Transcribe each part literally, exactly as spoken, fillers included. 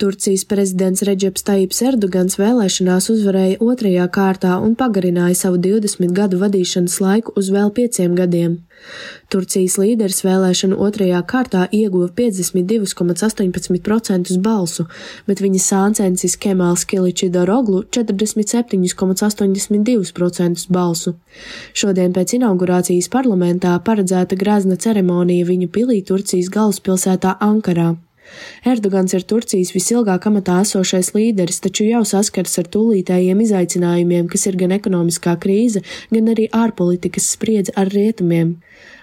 Turcijas prezidents Redžeps Tajips Erdogans vēlēšanās uzvarēja otrajā kārtā un pagarināja savu divdesmit gadu vadīšanas laiku uz vēl pieciem gadiem. Turcijas līderis vēlēšanu otrajā kārtā ieguva piecdesmit divi komats astoņpadsmit procenti balsu, bet viņa sāncensis Kemāls Kiličidaroglu četrdesmit septiņi komats astoņdesmit divi procenti balsu. Šodien pēc inaugurācijas parlamentā paredzēta grezna ceremonija viņu pilī Turcijas galvaspilsētā Ankarā. Erdogans ir Turcijas visilgāk amatā esošais līderis, taču jau saskars ar tūlītējiem izaicinājumiem, kas ir gan ekonomiskā krīze, gan arī ārpolitikas spriedze ar rietumiem.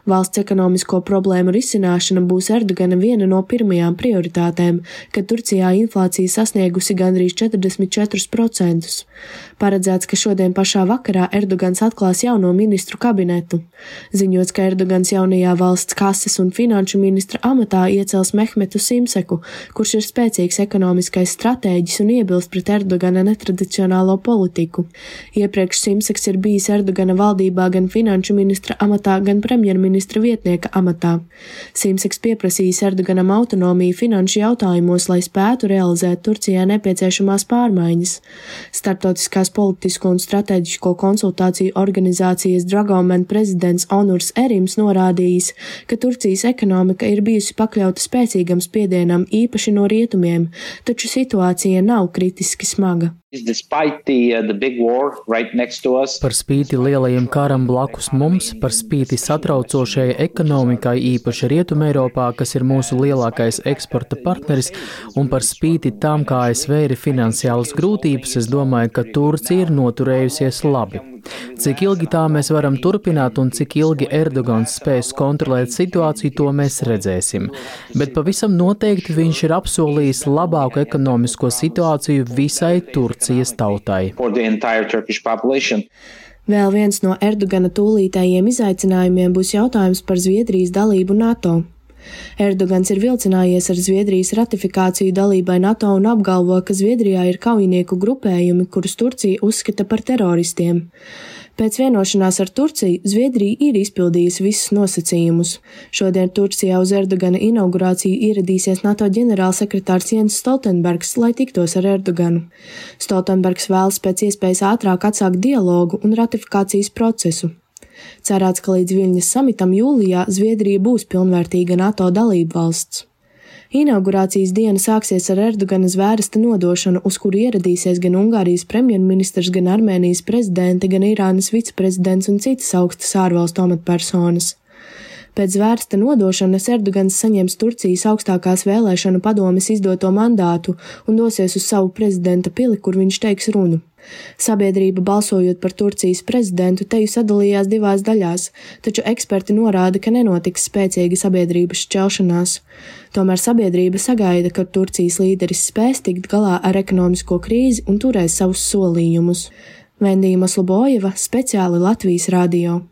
Valsts ekonomisko problēmu risināšana būs Erdogana viena no pirmajām prioritātēm, kad Turcijā inflācija sasniegusi gandrīz četrdesmit četrus procentus. Paredzēts, ka šodien pašā vakarā Erdogans atklās jauno ministru kabinetu. Ziņots, ka Erdogans jaunajā valsts kases un finanšu ministra amatā iecels Mehmetu Simseku, kurš ir spēcīgs ekonomiskais stratēģis un iebilst pret Erdogana netradicionālo politiku. Iepriekš Simseks ir bijis Erdogana valdībā gan finanšu ministra amatā, gan premjerministra ministra vietnieka amatā. Simseks pieprasījis Erdoganam autonomiju finanšu jautājumos, lai spētu realizēt Turcijā nepieciešamās pārmaiņas. Starptautiskās politisko un strateģisko konsultāciju organizācijas Dragoman prezidents Onurs Erims norādījis, ka Turcijas ekonomika ir bijusi pakļauta spēcīgam spiedienam īpaši no rietumiem, taču situācija nav kritiski smaga. The, uh, the right par spīti lielajiem karam blakus mums, par spīti satraucošajai ekonomikai īpaši Rietumē Eiropā, kas ir mūsu lielākais eksporta partneris, un par spīti tam, kā A S V ir finansiālas grūtības, es domāju, ka Turcija ir noturējusies labi. Cik ilgi tā mēs varam turpināt un cik ilgi Erdogans spēs kontrolēt situāciju, to mēs redzēsim. Bet pavisam noteikti viņš ir apsolījis labāku ekonomisko situāciju visai Turcijas tautai. Vēl viens no Erdogana tūlītējiem izaicinājumiem būs jautājums par Zviedrijas dalību NATO. Erdogans ir vilcinājies ar Zviedrijas ratifikāciju dalībai NATO un apgalvo, ka Zviedrijā ir kaujinieku grupējumi, kurus Turcija uzskata par teroristiem. Pēc vienošanās ar Turciju Zviedrija ir izpildījusi visus nosacījumus. Šodien Turcijā uz Erdogana inaugurāciju ieradīsies NATO ģenerālsekretārs Jens Stoltenbergs, lai tiktos ar Erdoganu. Stoltenbergs vēlas pēc iespējas ātrāk atsākt dialogu un ratifikācijas procesu. Cerēts, ka līdz Viļņas samitam jūlijā Zviedrija būs pilnvērtīga NATO dalība valsts. Inaugurācijas diena sāksies ar Erdogana zvērsta nodošanu, uz kuru ieradīsies gan Ungārijas premjerministrs, gan Armēnijas prezidente, gan Irānas viceprezidents un citas augstas ārvalstu amatpersonas. Pēc zvērsta nodošanas Erdogans saņems Turcijas augstākās vēlēšanu padomes izdoto mandātu un dosies uz savu prezidenta pili, kur viņš teiks runu. Sabiedrība balsojot par Turcijas prezidentu teju sadalījās divās daļās, taču eksperti norāda, ka nenotiks spēcīga sabiedrības šķelšanās. Tomēr sabiedrība sagaida, ka Turcijas līderis spēs tikt galā ar ekonomisko krīzi un turēs savus solījumus. Vendija Maslobojeva, speciāli Latvijas radio.